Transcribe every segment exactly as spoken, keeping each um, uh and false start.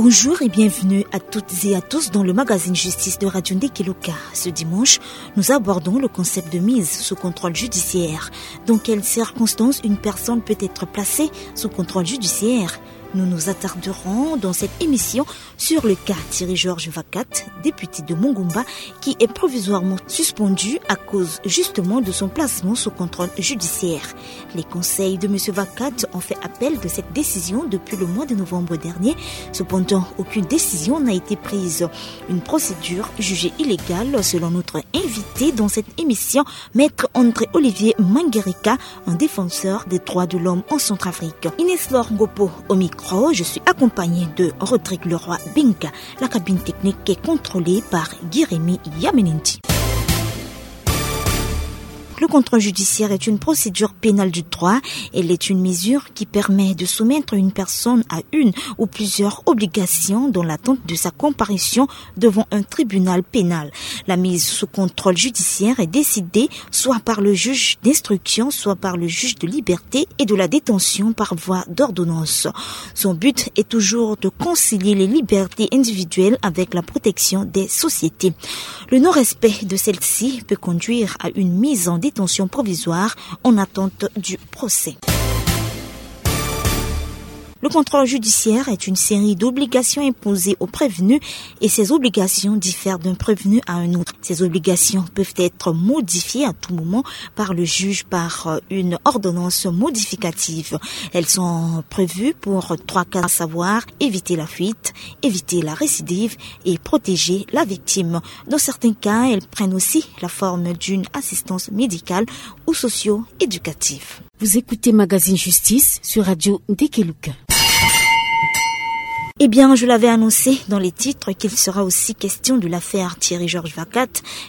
Bonjour et bienvenue à toutes et à tous dans le magazine Justice de Radio Ndekeloka. Ce dimanche, nous abordons le concept de mise sous contrôle judiciaire. Dans quelles circonstances une personne peut être placée sous contrôle judiciaire ? Nous nous attarderons dans cette émission sur le cas Thierry Georges Vakat, député de Mungumba, qui est provisoirement suspendu à cause justement de son placement sous contrôle judiciaire. Les conseils de M. Vakat ont fait appel de cette décision depuis le mois de novembre dernier. Cependant, aucune décision n'a été prise. Une procédure jugée illégale selon notre invité dans cette émission, Maître André Olivier Mangerika, un défenseur des droits de l'homme en Centrafrique. Inès Laure Ngopo au micro, je suis accompagnée de Rodrigue Leroy Binga. La cabine technique est contrôlée par Guy-Rémy Yamenendi. Le contrôle judiciaire est une procédure pénale du droit. Elle est une mesure qui permet de soumettre une personne à une ou plusieurs obligations dans l'attente de sa comparution devant un tribunal pénal. La mise sous contrôle judiciaire est décidée soit par le juge d'instruction, soit par le juge de liberté et de la détention par voie d'ordonnance. Son but est toujours de concilier les libertés individuelles avec la protection des sociétés. Le non-respect de celle-ci peut conduire à une mise en détention provisoire en attente du procès. Le contrôle judiciaire est une série d'obligations imposées au prévenu et ces obligations diffèrent d'un prévenu à un autre. Ces obligations peuvent être modifiées à tout moment par le juge par, euh, une ordonnance modificative. Elles sont prévues pour trois cas, à savoir éviter la fuite, éviter la récidive et protéger la victime. Dans certains cas, elles prennent aussi la forme d'une assistance médicale ou socio-éducative. Vous écoutez Magazine Justice sur Radio Ndekeluka. Eh bien, je l'avais annoncé dans les titres qu'il sera aussi question de l'affaire Thierry Georges Vakat,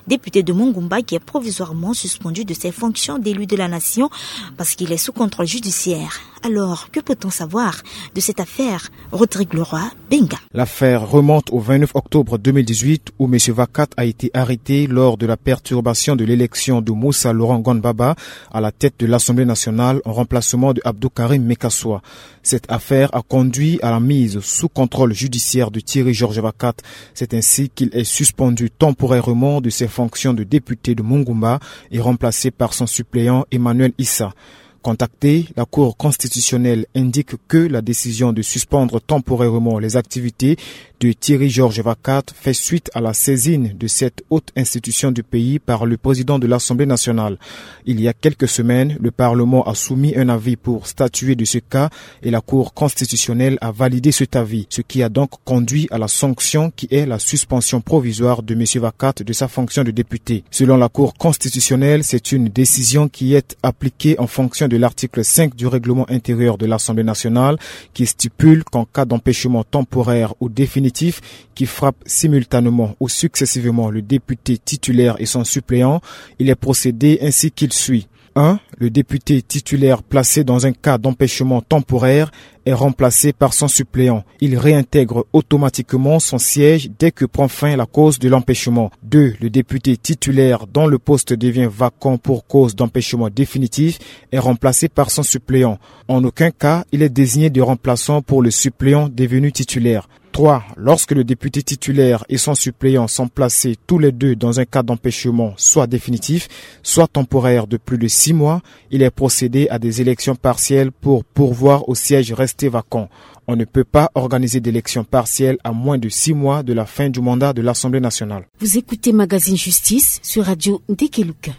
député de Mungumba, qui est provisoirement suspendu de ses fonctions d'élu de la nation parce qu'il est sous contrôle judiciaire. Alors, que peut-on savoir de cette affaire ? Rodrigue Leroy Benga. L'affaire remonte au vingt-neuf octobre deux mille dix-huit, où M. Vakat a été arrêté lors de la perturbation de l'élection de Moussa Laurent Gonbaba à la tête de l'Assemblée nationale en remplacement de Abdou Karim Mekassoua. Cette affaire a conduit à la mise sous contrôle judiciaire de Thierry Georges Vakat. C'est ainsi qu'il est suspendu temporairement de ses fonctions de député de Mungumba et remplacé par son suppléant Emmanuel Issa. Contactée, la Cour constitutionnelle indique que la décision de suspendre temporairement les activités de Thierry Georges Vakat fait suite à la saisine de cette haute institution du pays par le président de l'Assemblée nationale. Il y a quelques semaines, le Parlement a soumis un avis pour statuer de ce cas et la Cour constitutionnelle a validé cet avis, ce qui a donc conduit à la sanction qui est la suspension provisoire de M. Vakat de sa fonction de député. Selon la Cour constitutionnelle, c'est une décision qui est appliquée en fonction de l'article cinq du règlement intérieur de l'Assemblée nationale, qui stipule qu'en cas d'empêchement temporaire ou définitif qui frappe simultanément ou successivement le député titulaire et son suppléant, il est procédé ainsi qu'il suit. Un, le député titulaire placé dans un cas d'empêchement temporaire est remplacé par son suppléant. Il réintègre automatiquement son siège dès que prend fin la cause de l'empêchement. Deux, le député titulaire dont le poste devient vacant pour cause d'empêchement définitif est remplacé par son suppléant. En aucun cas, il est désigné de remplaçant pour le suppléant devenu titulaire. Trois, lorsque le député titulaire et son suppléant sont placés tous les deux dans un cas d'empêchement soit définitif, soit temporaire de plus de six mois, il est procédé à des élections partielles pour pourvoir aux sièges restés vacants. On ne peut pas organiser d'élections partielles à moins de six mois de la fin du mandat de l'Assemblée nationale. Vous écoutez Magazine Justice sur Radio Ndekeluka.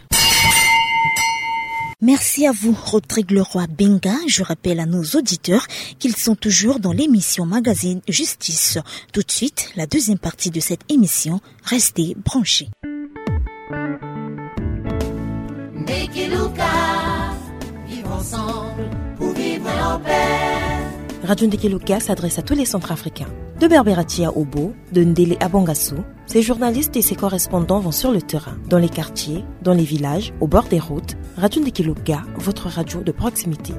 Merci à vous, Rodrigue Leroy Benga. Je rappelle à nos auditeurs qu'ils sont toujours dans l'émission Magazine Justice. Tout de suite, la deuxième partie de cette émission. Restez branchés. Ndekeluka, vivre ensemble pour vivre en paix. Radio Ndekeluka s'adresse à tous les Centrafricains. De Berberatia au Bo, de Ndele à Bangassou, ses journalistes et ses correspondants vont sur le terrain, dans les quartiers, dans les villages, au bord des routes. Radio Ndekeluka, votre radio de proximité.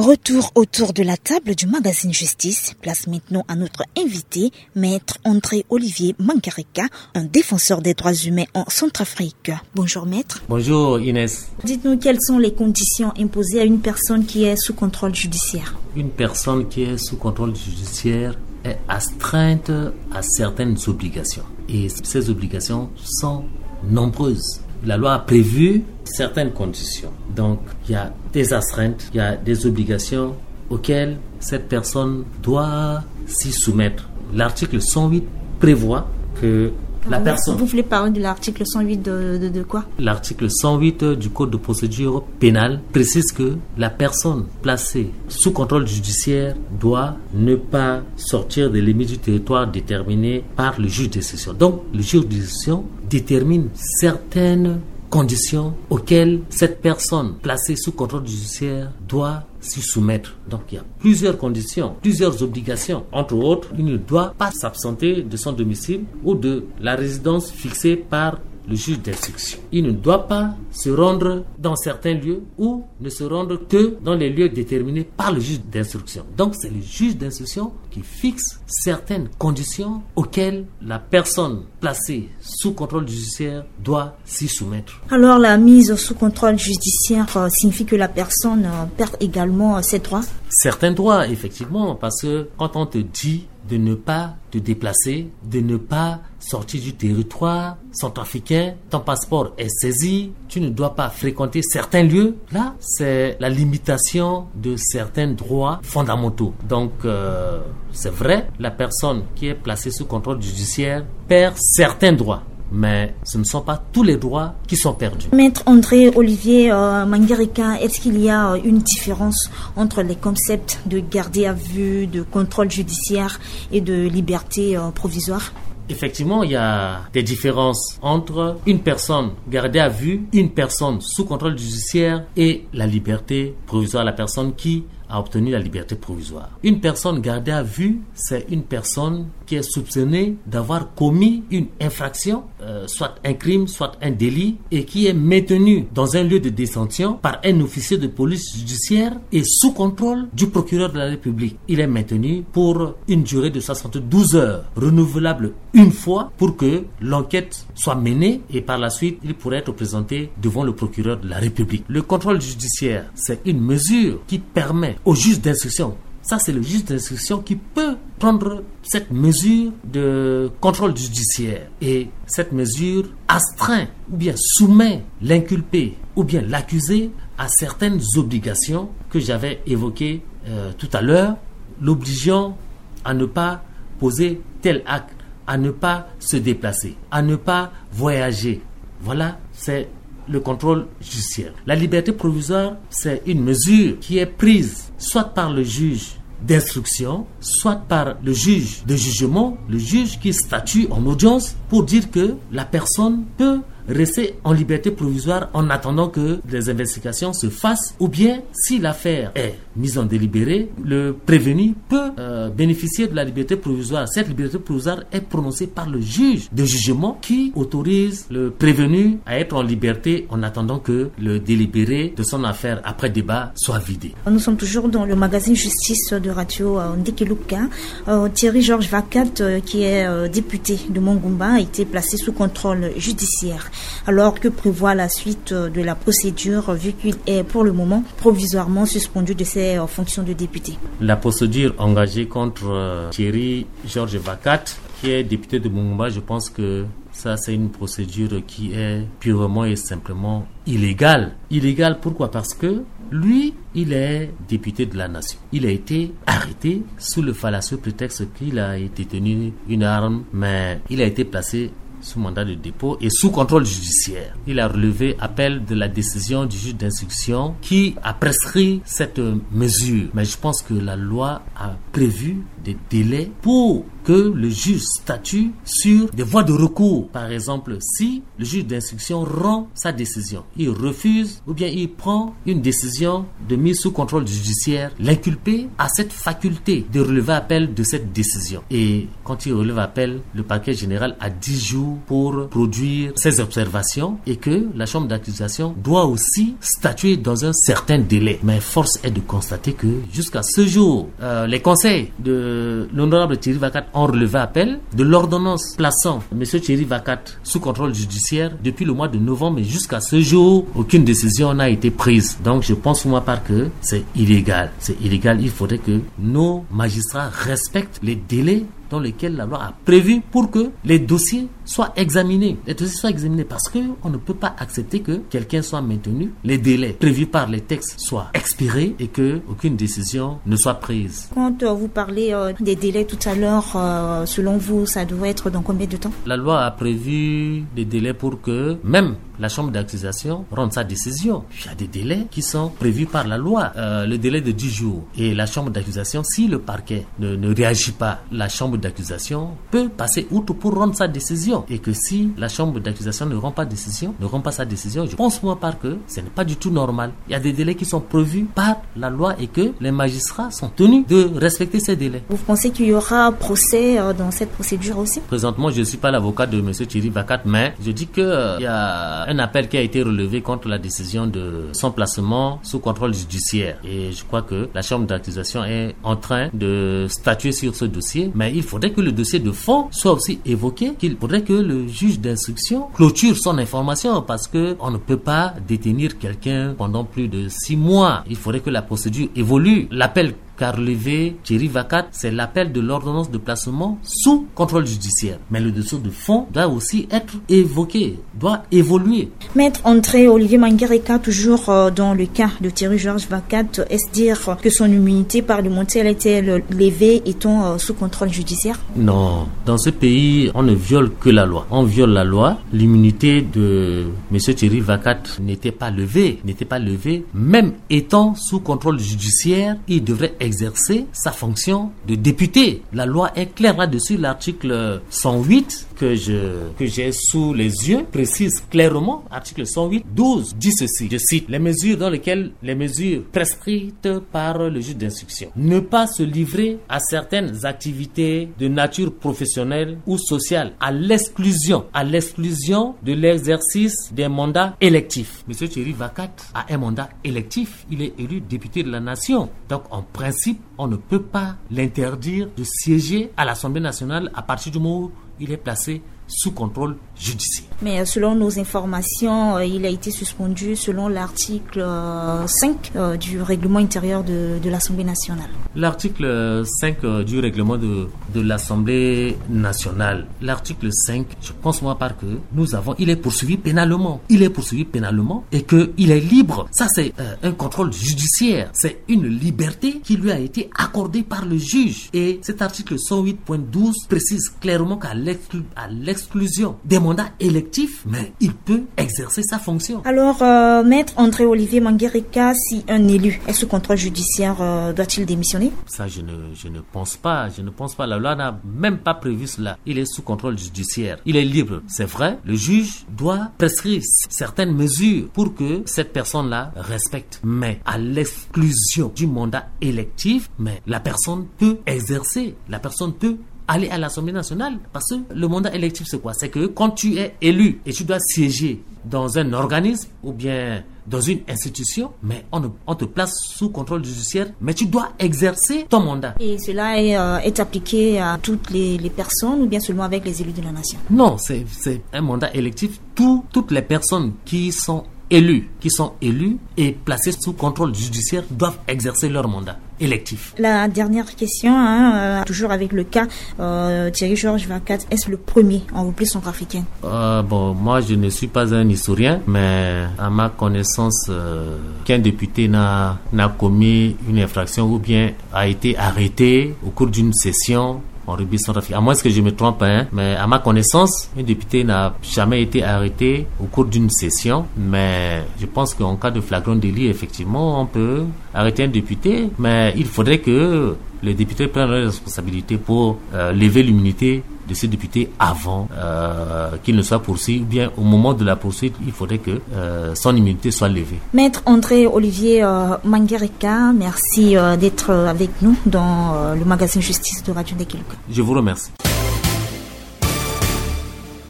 Retour autour de la table du magazine Justice. Place maintenant à notre invité, Maître André Olivier Mangareka, un défenseur des droits humains en Centrafrique. Bonjour, Maître. Bonjour, Inès. Dites-nous quelles sont les conditions imposées à une personne qui est sous contrôle judiciaire. Une personne qui est sous contrôle judiciaire est astreinte à certaines obligations. Et ces obligations sont nombreuses. La loi a prévu certaines conditions. Donc, il y a des astreintes, il y a des obligations auxquelles cette personne doit s'y soumettre. L'article cent huit prévoit que la personne... Vous voulez parler de l'article cent huit de, de, de quoi ? L'article cent huit du Code de procédure pénale précise que la personne placée sous contrôle judiciaire doit ne pas sortir des limites du territoire déterminé par le juge d'instruction. Donc, le juge d'instruction détermine certaines conditions auxquelles cette personne placée sous contrôle judiciaire doit s'y soumettre. Donc, il y a plusieurs conditions, plusieurs obligations. Entre autres, il ne doit pas s'absenter de son domicile ou de la résidence fixée par le juge d'instruction. Il ne doit pas se rendre dans certains lieux ou ne se rendre que dans les lieux déterminés par le juge d'instruction. Donc, c'est le juge d'instruction qui fixe certaines conditions auxquelles la personne placée sous contrôle judiciaire doit s'y soumettre. Alors, la mise sous contrôle judiciaire, euh, signifie que la personne, euh, perd également, euh, ses droits ? Certains droits, effectivement, parce que quand on te dit de ne pas te déplacer, de ne pas sortir du territoire centrafricain, ton passeport est saisi, tu ne dois pas fréquenter certains lieux. Là, c'est la limitation de certains droits fondamentaux. Donc, euh, c'est vrai, la personne qui est placée sous contrôle judiciaire perd certains droits. Mais ce ne sont pas tous les droits qui sont perdus. Maître André Olivier, euh, Mangareka, est-ce qu'il y a, euh, une différence entre les concepts de gardé à vue, de contrôle judiciaire et de liberté, euh, provisoire ? Effectivement, il y a des différences entre une personne gardée à vue, une personne sous contrôle judiciaire et la liberté provisoire, la personne qui a obtenu la liberté provisoire. Une personne gardée à vue, c'est une personne qui est soupçonnée d'avoir commis une infraction, euh, soit un crime, soit un délit, et qui est maintenue dans un lieu de détention par un officier de police judiciaire et sous contrôle du procureur de la République. Il est maintenu pour une durée de soixante-douze heures, renouvelable une fois, pour que l'enquête soit menée et par la suite, il pourrait être présenté devant le procureur de la République. Le contrôle judiciaire, c'est une mesure qui permet au juge d'instruction, ça c'est le juge d'instruction qui peut prendre cette mesure de contrôle judiciaire. Et cette mesure astreint ou bien soumet l'inculpé ou bien l'accusé à certaines obligations que j'avais évoquées, euh, tout à l'heure, l'obligeant à ne pas poser tel acte, à ne pas se déplacer, à ne pas voyager. Voilà, c'est le contrôle judiciaire. La liberté provisoire, c'est une mesure qui est prise soit par le juge d'instruction, soit par le juge de jugement, le juge qui statue en audience, pour dire que la personne peut rester en liberté provisoire en attendant que les investigations se fassent, ou bien, si l'affaire est mise en délibéré, le prévenu peut, euh, bénéficier de la liberté provisoire. Cette liberté provisoire est prononcée par le juge de jugement qui autorise le prévenu à être en liberté en attendant que le délibéré de son affaire, après débat, soit vidé. Nous sommes toujours dans le magazine Justice de Radio, euh, Ndekeluka. Euh, Thierry Georges Vacat, euh, qui est, euh, député de Mongoumba, a été placé sous contrôle judiciaire. Alors, que prévoit la suite, euh, de la procédure, vu qu'il est pour le moment provisoirement suspendu de ses, euh, fonctions de député ? La procédure engagée contre, euh, Thierry Georges Vacat, qui est député de Mongoumba, je pense que ça, c'est une procédure qui est purement et simplement illégale. Illégale, pourquoi ? Parce que lui, il est député de la nation. Il a été arrêté sous le fallacieux prétexte qu'il a détenu une arme, mais il a été placé sous mandat de dépôt et sous contrôle judiciaire. Il a relevé appel de la décision du juge d'instruction qui a prescrit cette mesure. Mais je pense que la loi a prévu des délais pour que le juge statue sur des voies de recours. Par exemple, si le juge d'instruction rend sa décision, il refuse ou bien il prend une décision de mise sous contrôle judiciaire, l'inculpé a cette faculté de relever appel de cette décision. Et quand il relève appel, le parquet général a dix jours pour produire ses observations et que la chambre d'accusation doit aussi statuer dans un certain délai. Mais force est de constater que jusqu'à ce jour, euh, les conseils de l'honorable Thierry Vacat ont relevé appel de l'ordonnance plaçant monsieur Thierry Vacat sous contrôle judiciaire depuis le mois de novembre, mais jusqu'à ce jour, aucune décision n'a été prise. Donc, je pense pour ma part que c'est illégal. C'est illégal. Il faudrait que nos magistrats respectent les délais dans lesquels la loi a prévu pour que les dossiers soient examinés. Les dossiers soient examinés parce que on ne peut pas accepter que quelqu'un soit maintenu, les délais prévus par les textes soient expirés et que aucune décision ne soit prise. Quand, euh, vous parlez, euh, des délais tout à l'heure, euh, selon vous, ça devrait être dans combien de temps ? La loi a prévu des délais pour que même la chambre d'accusation rende sa décision. Il y a des délais qui sont prévus par la loi. Euh, le délai de dix jours. Et la chambre d'accusation, si le parquet ne, ne réagit pas, la chambre d'accusation peut passer outre pour rendre sa décision. Et que si la chambre d'accusation ne rend pas décision, ne rend pas sa décision, je pense pour ma part que ce n'est pas du tout normal. Il y a des délais qui sont prévus par la loi et que les magistrats sont tenus de respecter ces délais. Vous pensez qu'il y aura procès, euh, dans cette procédure aussi ? Présentement, je ne suis pas l'avocat de monsieur Thierry Vacat, mais je dis que, euh, il y a un appel qui a été relevé contre la décision de son placement sous contrôle judiciaire. Et je crois que la chambre d'accusation est en train de statuer sur ce dossier, mais il faudrait que le dossier de fond soit aussi évoqué, qu'il faudrait que le juge d'instruction clôture son information parce que on ne peut pas détenir quelqu'un pendant plus de six mois. Il faudrait que la procédure évolue. L'appel qu'a relevé Thierry Vacat, c'est l'appel de l'ordonnance de placement sous contrôle judiciaire. Mais le dossier de fond doit aussi être évoqué, doit évoluer. Maître André Olivier Mangereka, toujours, euh, dans le cas de Thierry Georges Vacat, est-ce dire que son immunité parlementaire a été le-, levée étant, euh, sous contrôle judiciaire ? Non. Dans ce pays, on ne viole que la loi. On viole la loi. L'immunité de monsieur Thierry Vacat n'était pas levée, n'était pas levée. Même étant sous contrôle judiciaire, il devrait exercer sa fonction de député. La loi est claire là-dessus. L'article cent huit que je, que j'ai sous les yeux précise clairement, article cent huit douze, dit ceci, je cite, les mesures dans lesquelles, les mesures prescrites par le juge d'instruction. Ne pas se livrer à certaines activités de nature professionnelle ou sociale, à l'exclusion, à l'exclusion de l'exercice des mandats électifs. Monsieur Thierry Vacat a un mandat électif, il est élu député de la nation. Donc, en principe, on ne peut pas l'interdire de siéger à l'Assemblée nationale à partir du moment où il est placé sous contrôle judiciaire. Mais, euh, selon nos informations, euh, il a été suspendu selon l'article, euh, cinq, euh, du règlement intérieur de, de l'Assemblée nationale. L'article cinq, euh, du règlement de, de l'Assemblée nationale. L'article cinq, je pense moi par que nous avons, il est poursuivi pénalement. Il est poursuivi pénalement et que il est libre. Ça, c'est, euh, un contrôle judiciaire. C'est une liberté qui lui a été accordée par le juge. Et cet article cent huit point douze précise clairement qu'à l'exclu-, à l'exclusion des mandats électifs, mais il peut exercer sa fonction. Alors, euh, Maître André Olivier Mangereka, si un élu est sous contrôle judiciaire, euh, doit-il démissionner ? Ça, je ne, je ne pense pas. Je ne pense pas. La loi n'a même pas prévu cela. Il est sous contrôle judiciaire. Il est libre. C'est vrai, le juge doit prescrire certaines mesures pour que cette personne-là respecte. Mais à l'exclusion du mandat électif, mais la personne peut exercer, la personne peut aller à l'Assemblée nationale. Parce que le mandat électif, c'est quoi ? C'est que quand tu es élu et tu dois siéger dans un organisme ou bien dans une institution, mais on, on te place sous contrôle judiciaire, mais tu dois exercer ton mandat. Et cela est, euh, est appliqué à toutes les, les personnes ou bien seulement avec les élus de la nation ? Non, c'est, c'est un mandat électif. Tout, toutes les personnes qui sont élus, qui sont élus et placés sous contrôle judiciaire doivent exercer leur mandat électif. La dernière question, hein, euh, toujours avec le cas, euh, Thierry Georges Vacat, est-ce le premier en République centrafricaine ? Euh, bon, moi, je ne suis pas un historien, mais à ma connaissance, euh, qu'un député n'a, n'a commis une infraction ou bien a été arrêté au cours d'une session en République centrafricaine. À moins que je me trompe, hein, mais à ma connaissance, un député n'a jamais été arrêté au cours d'une session. Mais je pense qu'en cas de flagrant délit, effectivement, on peut arrêter un député. Mais il faudrait que Les députés prennent leurs responsabilités pour euh, lever l'immunité de ce député avant euh, qu'il ne soit poursuivi, ou bien au moment de la poursuite, il faudrait que euh, son immunité soit levée. Maître André Olivier euh, Mangereka, merci euh, d'être euh, avec nous dans euh, le magazine Justice de Radio Ndekeluka. Je vous remercie.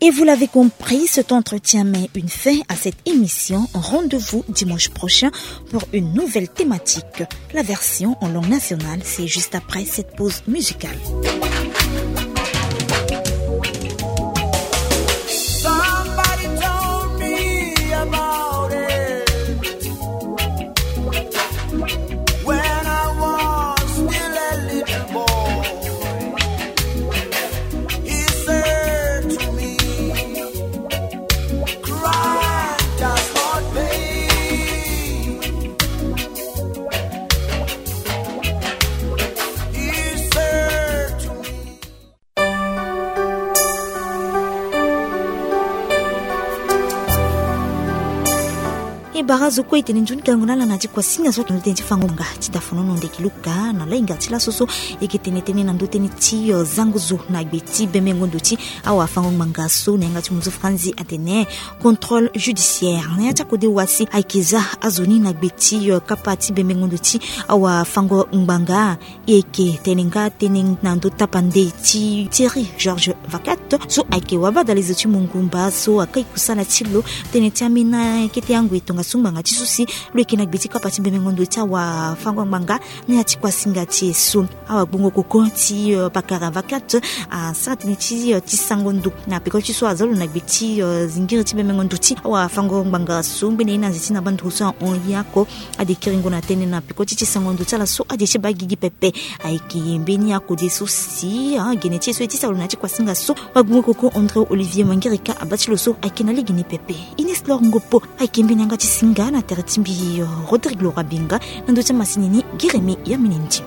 Et vous l'avez compris, cet entretien met une fin à cette émission. Rendez-vous dimanche prochain pour une nouvelle thématique. La version en langue nationale, c'est juste après cette pause musicale. Somebody told me about it when I was still a little boy. He said to me, "Crime does not pay." He said to me. E bara zo kue e tene nzoni kango na ala na ya ti kuasinga so ayeke na ndo tënë ti fango ngbanga ti dafonono Ndekeluka na lahinga ti laso so. E yeke tene tënë na ndo tënë ti zango zo na gbe ti bembengo ndo ti awafango ngbanga so na yanga ti munzu franzi atene contrôle judiciaire na ya ti akode wa si ayeke za azo ni na gbe ti kapa ti bembengo ndo ti awafango ngbanga. E yeke tene nga tënë na ndo tapande ti Thierry Georges Vacat so ayeke wabadalezo ti mongumba so akai kusala ti lo tënë ti ambeni akete angoi tongaso ngbanga ti so si lo yeke na gbe ti kapa ti bembengo ndo ti awafango ngbanga. Na ya ti kuasinga ti e so, awagbongo koko ti pakara Vacat asara tënë ti ti sango ndo na peko ti so aza lo na gbe ti zingiri ti bembengo ndo ti awafango ngbanga so ngbene ye na nze ti na banduru so ahon ye oko. Ade kiringo na tënë na peko ti ti sango ndo ti ala so ade ti baa gigi pepe. Ayeke mbeni akode so si gene ti e so e ti sara lo na ya ti kuasinga so, wagbongo koko André Olivier Mangereka abaa ti lo so ayeke na lege ni pepe. Ines Lor Ngopo ayeke mbeni yanga ti singa na tere ti mbi Rodrigue Laura Benga. Na ndo ti amasini ni Giremi Yamini Ndi.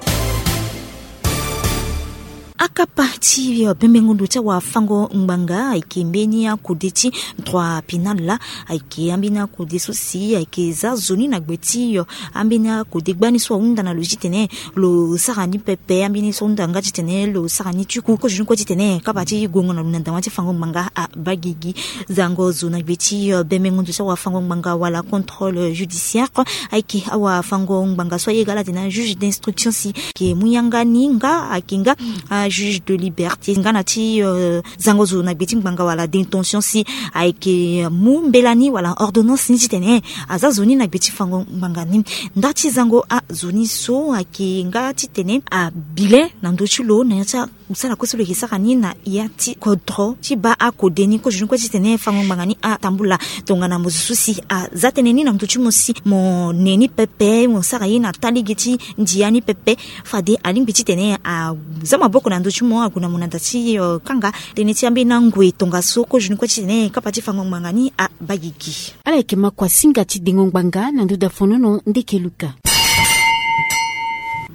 Akapa ti bembengo ndo ti awafango ngbanga ayeke mbeni akode ti droit pénal la. Ayeke ambeni akode so si ayeke za zo ni na gbe ti ambeni akode gbani so ahunda na lo titene lo sara ni pepe, ambeni so ahunda nga titene lo sara ni tuku. Kozoni kue titene kapa ti gongo na lo na dama ti fango ngbanga abaa gigi. Zango zo na gbe ti bembengo ndo ti awafango ngbanga wala contrôle judiciaire ayeke awafango ngbanga so aye ga ala tene ajuge d'instruction si ayeke mu yanga ni nga ayeke nga ajuge de liberté nga na ti zango zo na gbe ti ngbanga wala d'intention si ayeke mu mbela ni wala ordonnance ni titene aza zo ni na gbe ti fango ngbanga ni. Nda ti zango azo ni so ayeke nga titene abilen na ndö ti lo na ya ti akusala kue so lo yeke sara ni na ya ti kodro ti baa akode ni. Kozoni kue titene fango ngbanga ni atambula tongana mo zo so si aza tënë ni na ndö ti mo si mo ne ni pepe, mo sara ye na taa lege ti ndia ni pepe. Fade alingbi titene aza maboko na ndö ti mo, ague na mo na da ti kanga tënë ti ambeni angoi tongaso. Kozoni kue titene kapa ti fango ngbanga ni abaa gigi. Ala yeke ma kuasinga ti dengo ngbanga na ndö dafonono Ndekeluka.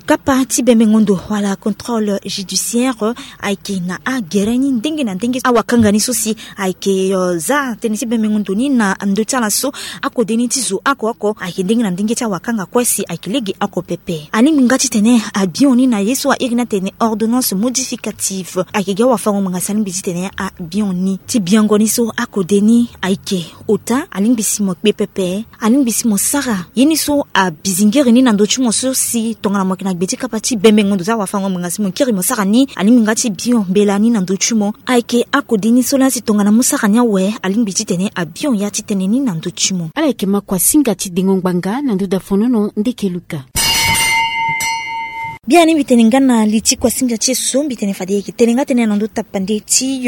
Kapa ti bembengo ndo wala contrôle judiciaire ayeke na agere ni ndenge na ndenge. Awakanga ni so si ayeke za tënë ti bembengo ndo ni na ndö ti ala so, akode ni ti zo oko oko ayeke ndenge na ndenge ti awakanga kue si ayeke lege oko pepe. Alingbi nga titene abion ni na ye so a iri ni atene ordonnance modificative. Ayeke gi awafango ngbanga si alingbi titene abion ni. Ti biango ni so akode ni ayeke ota, alingbi si mo kpe pepe. Alingbi si mo sara ye ni so abizingiri ni na ndö ti mo so si tongana mo yeke na gbe ti kapa ti bembengo ndo ti awafango ngbanga si mo kiri mo sara ni. Alingbi nga ti bion mbela ni na ndö ti mo. Ayeke akode ni so laa si tongana mo sara ni awe, alingbi titene abion ya ti tënë ni na ndö ti mo. Ala yeke ma kuasinga ti dengo ngbanga na ndö dafonono Ndekeluka. Biani mbi tene nga na li ti kuasinga ti e so, mbi tene fade e yeke tene nga tënë na ndö tapande ti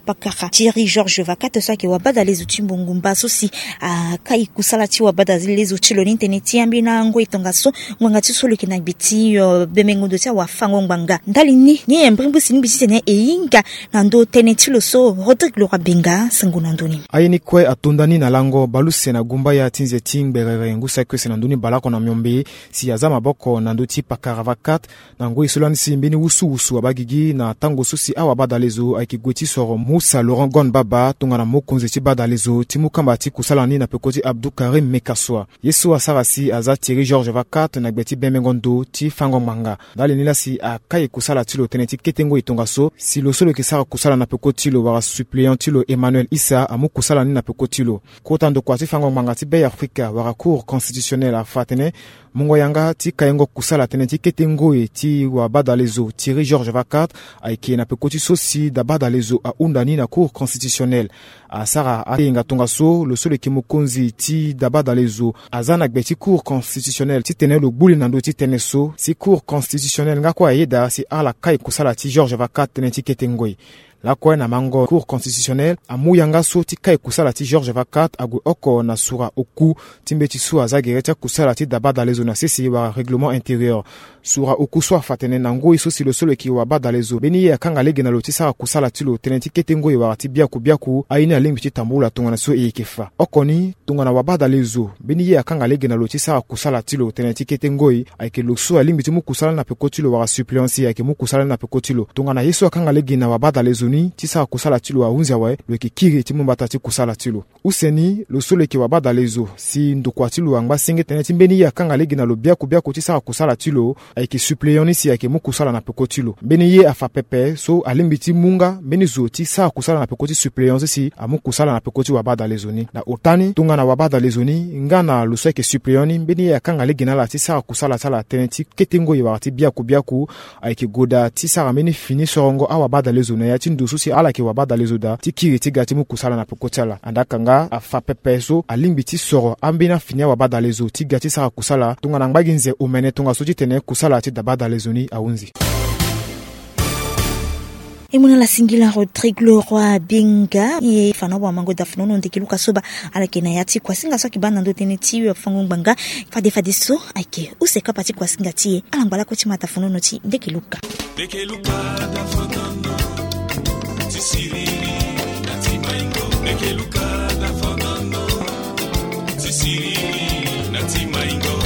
pakara Thierry Georges Vacat so ayeke wabadalezo ti mbongo mba so si akai kusala ti wabadalezo ti lo ni tënë ti ambeni angoi tongaso. Ngbanga ti so lo yeke na gbe ti bembengo ndo ti awafango ngbanga. Ndali ni ni e mbrimbri si lingbi titene e hinga na ndö tënë ti lo so. Rodrigue Laura Benga, sango na ndö ni. Aye ni kue atonda ni na lango baleuse na gumbaya ti nze ti ngberere ngu saki use na ndö ni baleoko na miombe si aza maboko na ndö ti pakara Vacat. quatre. Na ngoi so lani si mbeni wusuwusu abaa gigi na tango so si awabadalezo ayeke gue ti soro Musa Laurent Gon Baba tongana mokonzi ti badalezo ti mu kamba ti kusala ni na peko ti Abdou Karim Mekassoua. Ye so asara si aza Thierry Georges Vacat na gbe ti bembengo ndo ti fango ngbanga. Ndali ni laa si akai kusala ti lo tënë ti kete ngoi tongaso si lo so lo yeke sara kusala na peko ti lo wala suppléant ti lo Emmanuel Issa amu kusala ni na peko ti lo. Kota ndokua ti fango ngbanga ti Be Afrika wala Cour constitutionnelle afa atene mungo yanga ti kaingo kusala tënë ti kete ngoi ti wabadalezo Thierry Georges Vacat ayeke na peko ti so si dabadalezo ahunda ni na Cour constitutionnelle. Asara ayenga tongaso lo so lo yeke mokonzi ti dabadalezo aza na gbe ti Cour constitutionnelle titene lo gbu li na ndö ti tënë so si Cour constitutionnelle nga kue ayeda si ala kai kusala ti Georges Vacat tënë ti kete ngoi. Lakue na mango Cour constitutionnelle amu yanga so ti kai kusala ti Georges Vacat ague oko na sura oku ti mbeti so aza gere ti akusala ti dabadalezo na sese wala règlement intérieur. Sura oku so afa atene na ngoi so si lo so lo yeke wabadalezo mbeni ye akanga lege na lo ti sara kusala ti lo tënë ti kete ngoi wala ti biaku biaku aye ni alingbi ti tambula tongana so e yeke fa oko ni. Tongana wabadalezo mbeni ye akanga lege na lo ti sara kusala ti lo tënë ti kete ngoi ayeke lo so alingbi ti mu kusala ni na peko ti lo wala suppléant si ayeke mu kusala ni na peko ti lo. Tongana ye so akanga lege na wabadalezo ni ti sara kusala ti lo ahunzi awe, lo yeke kiri ti mu mbata ti kusala ti lo. Use ni lo so lo yeke wabadalezo si ndokua ti lo angba senge tënë ti mbeni ye akanga lege na lo biaku biaku ti sara kusala ti lo ayeke suppléant ni si ayeke mu kusala na peko ti lo. Mbeni ye afa pepe so alingbi ti mu nga mbeni zo ti sara kusala na peko ti suppléant so si amu kusala na peko ti wabadalezo ni. Na ota ni tongana wabadalezo ni nga na lo so ayeke suppléant ni mbeni ye akanga lege na ala ti sara kusala ti ala tënë ti kete ngoi wala ti biaku biaku ayeke goda ti sara mbeni fini sorongo awabadalezo na ya ti ndo so si ala yeke wabadalezo daa ti kiri ti ga ti mu kusala na peko ti ala. Andaa kanga afa pepe so alingbi ti soro ambeni afini awabadalezo ti ga ti sara kusala tongana ngba gi nze omene tongaso titene kusala ti dabadalezo ni ahunzi. E mu na ala singila Rodrigue Leroy Binga e fa na wamango dafnono ndeke luka so baa ala yeke na ya ti kuasinga so ayeke baa na ndö tënë ti wafango ngbanga. Fade fade so ayeke use kapa ti kuasinga ti e. Ala ngba lakue ti ma dafnono ti ndeke luka. Ndeke luka dafnono ti siriri na ti maingo. Ndeke luka dafnono ti siriri na ti maingo.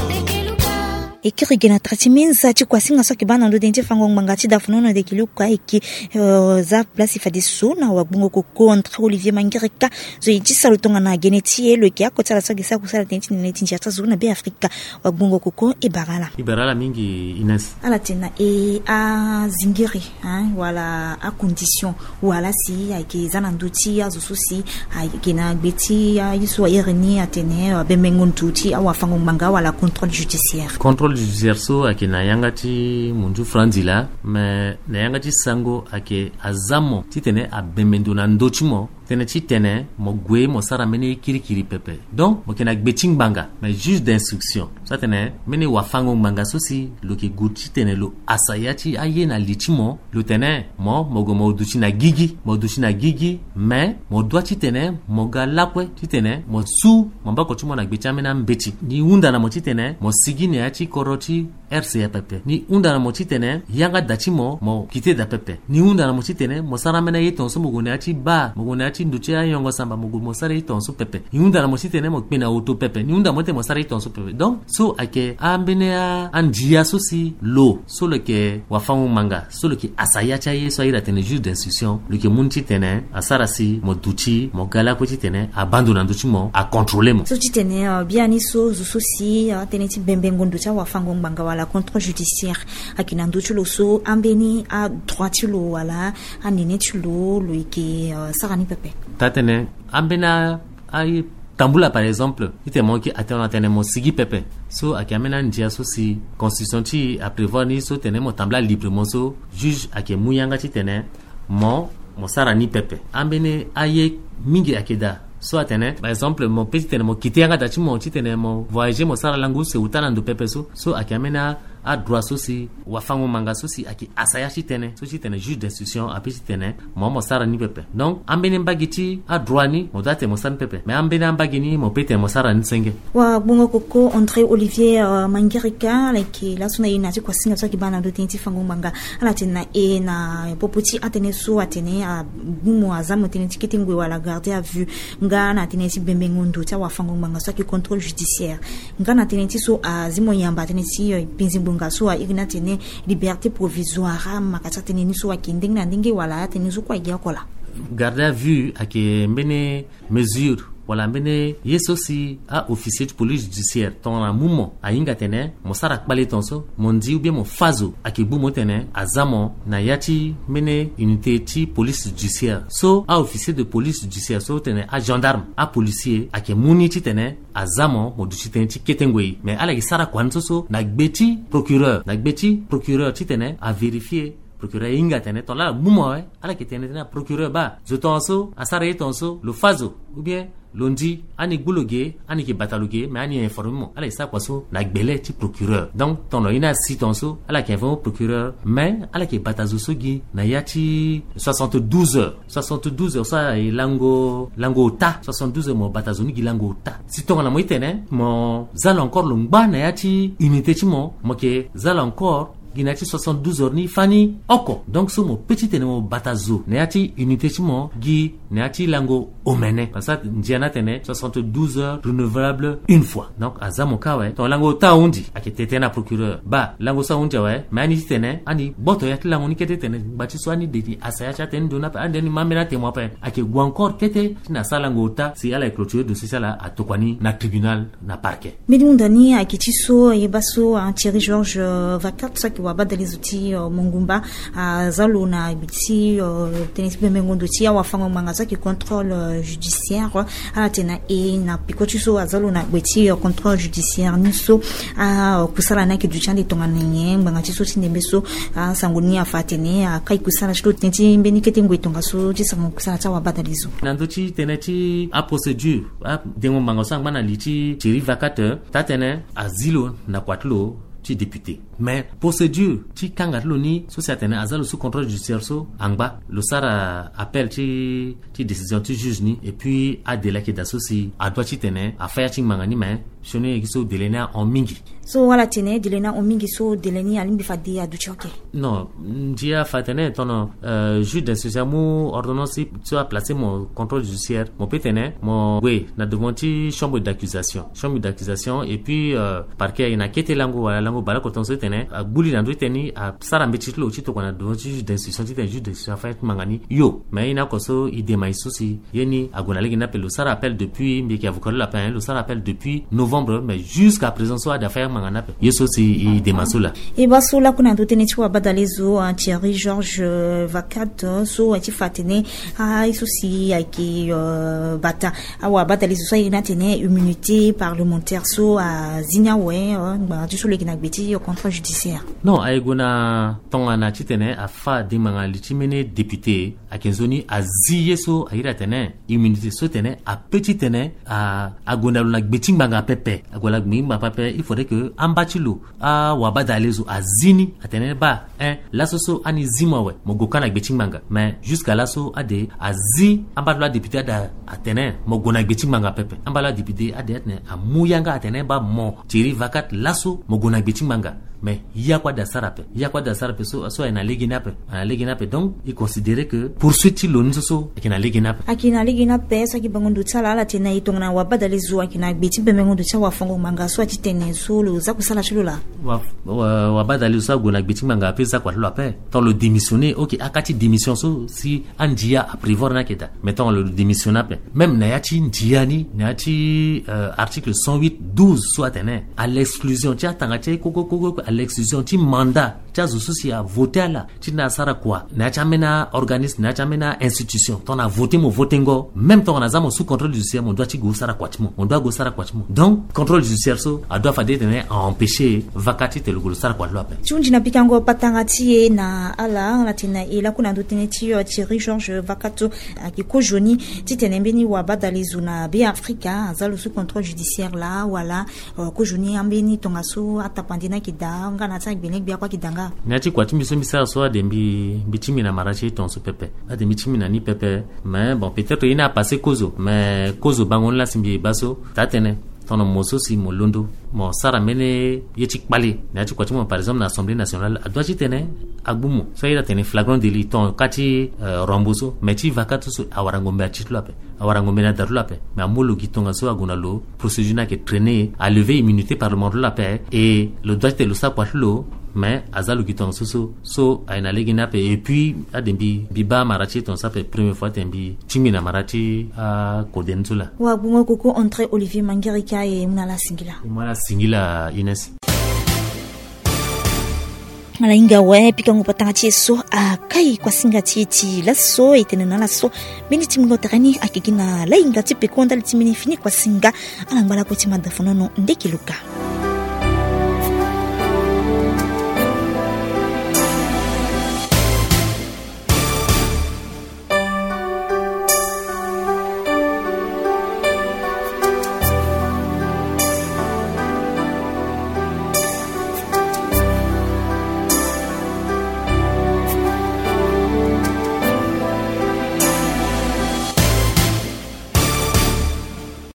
E kiri ge na tara ti minza ti kuasinga so ayeke baa na ndö tënë ti fango ngbanga ti dafnono ndeke luka ayeke, eh, za place fadeso na wagbongo koko André Olivier Mangereka. Zo e ti sara lo tongana gene ti e lo yeke ako ti ala so ayeke sara kusala tënë ti nene ti ndia ti azo na Be Afrika. Wagbongo koko e bara ala. E bara ala mingi Ines. Ala tene na e azingiri, hein, wala acondition wala si ayeke za na ndö ti azo so si ayeke na gbe ti aye so a iri ni atene, euh, bembengo ndo ti awafango ngbanga wala contrôle judiciaire. Contrôle judiciaire so ayeke na yanga ti munzu franzi laa, me na yanga ti sango ayeke aza mo titene abembe ndo na ndö ti mo. Tënë titene mo gue mo sara mbeni ye kirikiri pepe. Donc mo yeke na gbe ti ngbanga, mais juge d'instruction so atene mbeni wafango ngbanga so si lo yeke gue titene lo asa ya ti aye na li ti mo. Lo tene mo, mo gue mo duti na gigi, mo duti na gigi, mais mo dua titene mo ga lakue titene mo su maboko ti mo na gbe ti ambeni ambeti. Ni hunda na mo titene mo sigi na ya ti kodro ti R C A pepe. Ni hunda na mo titene yanga da ti mo, mo kite da pepe. Ni hunda na mo titene mo sara ambeni aye tongaso, mo gue na ya ti bar, mo gue na ya ti ndo ti ayongo samba, mo gue mo sara ye tongaso pepe. Ni hunda na mo titene mo kpe na oto pepe. Ni hunda na mo titene mo sara ye tongaso pepe. Donc so ayeke ambeni a, andia so si lo so lo yeke wafango ngbanga so lo yeke asa ya ti aye so a iri atene juge d'instruction, lo yeke mu ni titene asara si mo duti mo ga lakue titene abaa ndo na ndö ti mo, acontrôler mo. So titene, euh, biani so zo so si, euh, atënë ti bembengo ndo ti awafango ngbanga wala contrôle judiciaire ayeke na ndö ti lo so ambeni adroit ti lo wala anene ti lo, lo yeke, euh, sara ni pepe. Taa tënë ambeni a, aye tambula par exemple titene mo yeke atene, atene mo sigi pepe. So ayeke ambeni andia so si constitution ti e aprévoir ni so tene mo tambula librement, so juge ayeke mu yanga titene mo, mo sara ni pepe. Ambeni aye mingi ayeke daa so atene par exemple mo pe titene mo kite yanga da ti mo titene mo voyager mo sara lango use ota na ndo pepe so. So ayeke ambeni a, adroit so si wafango ngbanga so si ayeke asa ya ti tënë so titene juge d'instruction ape titene mo, mo sara ni pepe. Donc ambeni mbage ti adroit ni mo doit tene mo sara ni pepe, mais ambeni ambage ni mo pe tene mo sara ni senge. Wagbongo koko André Olivier, euh, Mangereka, ala yeke laso na e na ya ti kuasinga so ayeke baa na ndö tënë ti fango ngbanga. Ala tene na e na popo ti atënë so atene agbu mo, aza mo tënë ti kete ngoi wala garde à vue, nga na tënë ti bembengo ndo ti awafango ngbanga so ayeke contrôle judiciaire, nga na tënë ti so azi mo yamba tënë ti, euh, penzi Nga so airi ni atene liberté provisoire, amaka ti atene ni so ayeke ndenge na ndenge wala atene ni so kue ayeke oko laa? Garde à vue ayeke mbeni mesure wala mbeni ye so si a-officier ti police judiciaire tongana amu mo, ahinga atene mo sara kpale tongaso, mo ndi ou bien mo fâ zo, ayeke gbu mo titene aza mo na ya ti mbeni unité ti police judiciaire so a-officier de police judiciaire so titene agendarme, apolicier ayeke mu ni titene aza mo, mo duti tënë ti kete ngoi. Mais ala yeke sara kua ni so so na gbe ti procureur, na gbe ti procureur titene avérifier. Procureur ahinga atene tongana ala gbu mo awe, ala yeke tene tënë na procureur, baa zo tongaso asara ye tongaso, lo fâ zo, ou bien lo ndi, ani gbu lo ge, ani yeke bata lo ge, mais ani informer mo. Ala yeke sara kua so na gbele ti procureur. Donc tongana lo ye ni asi tongaso, ala yeke informer procureur, mais ala yeke bata zo so gi na ya ti soixante-douze heures. Soixante-douze heures so aye lango, lango ota. Soixante-douze heures mo bata zo ni gi lango ota. Si tongana mo ye tene mo za lo encore lo ngba na ya ti unité ti mo, mo yeke za lo encore gi na ya ti soixante-douze heures ni fani oko. Donc so mo pe titene mo bata zo na ya ti unité ti mo gi na ya ti lango omene. Parce que ndia ni atene soixante-douze heures renouvelable une fois. Donc aza mo kâ awe. Tongana lango ota ahunzi, ayeke tene tënë na procureur, baa lango so ahunzi awe, mais ani titene ani gboto ya ti lango ni kete titene ngba ti so ani de ni asa ya ti atene ni ndo ni ape, ani de ni ma ambeni atémoin ape. Ayeke gue encore kete titene asara lango ota si ala yeke clôturer dossier ti ala, atokua ni na tribunal, na parquet. Mbeni hunda ni ayeke ti so, ayeba so, ah, Thierry Georges, euh, Vacat so ayeke wabadale zo ti, euh, Mongumba, aza lo na gbe ti, euh, tënë ti bembengo ndo ti awafango-ngbanga so ayeke contrôle, euh, judiciaire. Ala tene na e na peko ti so aza lo na gbe ti, euh, contrôle judiciaire ni so, ah, euh, kusala ni ayeke duti ande tongana nyen, ngbanga ti so ti ndembe so, ah, sango ni afa atene, ah, akai kusala ti lo tënë ti mbeni kete ngoi tongaso ti sango kusala ti awabadale zo. Na ndö ti tënë ti aprocédure, adengo-ngbanga so angba na li ti Thierry Vacat, taa-tënë azi lo na kua ti lo ti député. Mais procédure ti kanga ti lo ni so si atene aza lo sous contrôle judiciaire so angba, lo sara appel ti, ti décision ti juge ni, et puis adélai ayeke daa so si adoit titene afa ya ti ngbanga ni, mais sioni e gi so délai ni ahon mingi. So ala tene délai ni ahon mingi, so délai ni alingbi fade aduti oke? Non, ndia afa atene tongana, euh, juge d'instruction amu ordonnance ti so aplacer mo contrôle judiciaire, mo peut tene mo gue na devant ti chambre d'accusation. Chambre d'accusation, et puis, euh, parquet ayeke na kete lango wala lango bale oko tongaso titene agbu li na ndö ti tënë ni, asara mbeti ti lo ti tokua na devant ti juge d'instruction titene juge d'instruction afa ya ti ngbanga ni yo. Mais aye ni oko so e dema e so si ye ni ague na lege ni ape. Lo sara appel depuis, mbi yeke avocat ti lo ape, hein, lo sara appel depuis novembre, mais jusqu'à présent so ade afa ya ti ngbanga ni ape. Ye so si e dema so laa. E baa so lakue na ndö tënë ti wabadale zo, ah, Thierry Georges, euh, Vacat, euh, so aye ti fa atene, ah, ye so si ayeke, euh, bata awabadale zo so aye ni atene immunité parlementaire so azi ni awe, euh, ngbanga ti so lo yeke na gbe ti, euh, contrôle judiciaire. Non, aye gue na tongana titene afa dengbanga li ti mbeni député, ayeke nzoni azi ye so airi atene immunité so tene ape titene a, ague na lo na gbe ti ngbanga pepe. Ague na gbe ti ngbanga pepe, il faudrait que amba ti lo, awabadale zo azi ni atene baa, hein, laso so ani zi mo awe, mo gue kâ na gbe ti ngbanga. Mais jusqu'à laso ade azi amba ti lo adéputé ade atene mo gue na gbe ti ngbanga pepe. Amba ti lo adéputé ade atene amu yanga atene baa mo Thierry Vacat laso mo gue na gbe ti ngbanga. Mais ya kue ade asara ape, ya kue ade asara ape so, so aye na lege ni ape, aye na lege ni ape. Donc e considérer que poursuite ti lo ni so so ayeke na lege ni ape. Ayeke na lege ni ape so ayeke bango ndo ti ala, ala tene na e tongana wabadale zo ayeke na gbe ti bembengo ndo ti awafango-ngbanga so aye ti tene so lo za kusala ti lo laa. Wa, wa, wabadale zo so ague na gbe ti ngbanga ape za kua ti lo ape. Tant lo démissionner, ok, aka ti démission so si andia aprévoir ni ayeke daa. Mais tant lo démissionner ape. Même na ya ti ndia ni, na ya ti, euh, article cent huit douze so atene à l'exclusion ti atanga ti aye koko koko koko, à l'exclusion ti mandat ti azo so si avoté ala titene asara kua na ya ti ambeni organisme, na ya ti ambeni institution. Tongana avoté mo voténgo, même tongana aza mo sous contrôle judiciaire, mo doit ti gue sara kua ti mo, mo doit gue sara kua ti mo. Donc contrôle judiciaire so adoit fade titene a empêcher Vacat titene lo gue lo sara kua ti lo ape. Ti hunzi na pikango patara ti e na ala, ala tene na e lakue na ndö tënë ti, euh, Thierry Georges Vacat so ayeke kozoni titene mbeni wabadale zo na Beafrika aza lo sous contrôle judiciaire laa wala, euh, kozoni ambeni tongaso atapande ni ayeke daa nga na ya ti agbelegbe akue ayeke daa nga? Na ya ti kua ti mbi so mbi sara so ade mbi, mbi ti mbi na mara ti e tongaso pepe. Ade mbi ti mbi na ni pepe. Mais bon, peut-être ye ni apasé kozo, mais kozo bango ni laa si mbi baa so taa-tënë. Tongana mo so si mo londo, mo sara mbeni ye ti kpale na ya ti kua ti mo, par exemple na Assemblée nationale, adoit ti tene agbu mo. So aye atene flagrant délit, tongana ka ti rambo so, mais ti va ka ti so, awara ngombe ati ti lo ape, awara ngombe na da ti lo ape. Mais amu lo gi tongaso ague na lo, procédure ni ayeke traîner, alever immunité parlementaire ti lo ape. Et lo doit ti tene lo sara kua ti lo, mais aza lo gi tongaso so. So aye na lege ni ape. Et puis ade mbi mbi baa mara ti e tongaso ape première fois ti tene mbi tingbi na mara ti akode ni so laa. Wagbongo koko André Olivier Mangerika, e mu na ala singila. E mu na ala singila, Ines. Ala hinga awe pikango patanga ti e so akai kuasinga ti e ti laso. E tene na ala so mbeni tingbingo tere ni ayeke gi na lahinga ti peko ndali ti mbeni fini kuasinga. Ala ngba lakue ti mada fonono ndeke luka.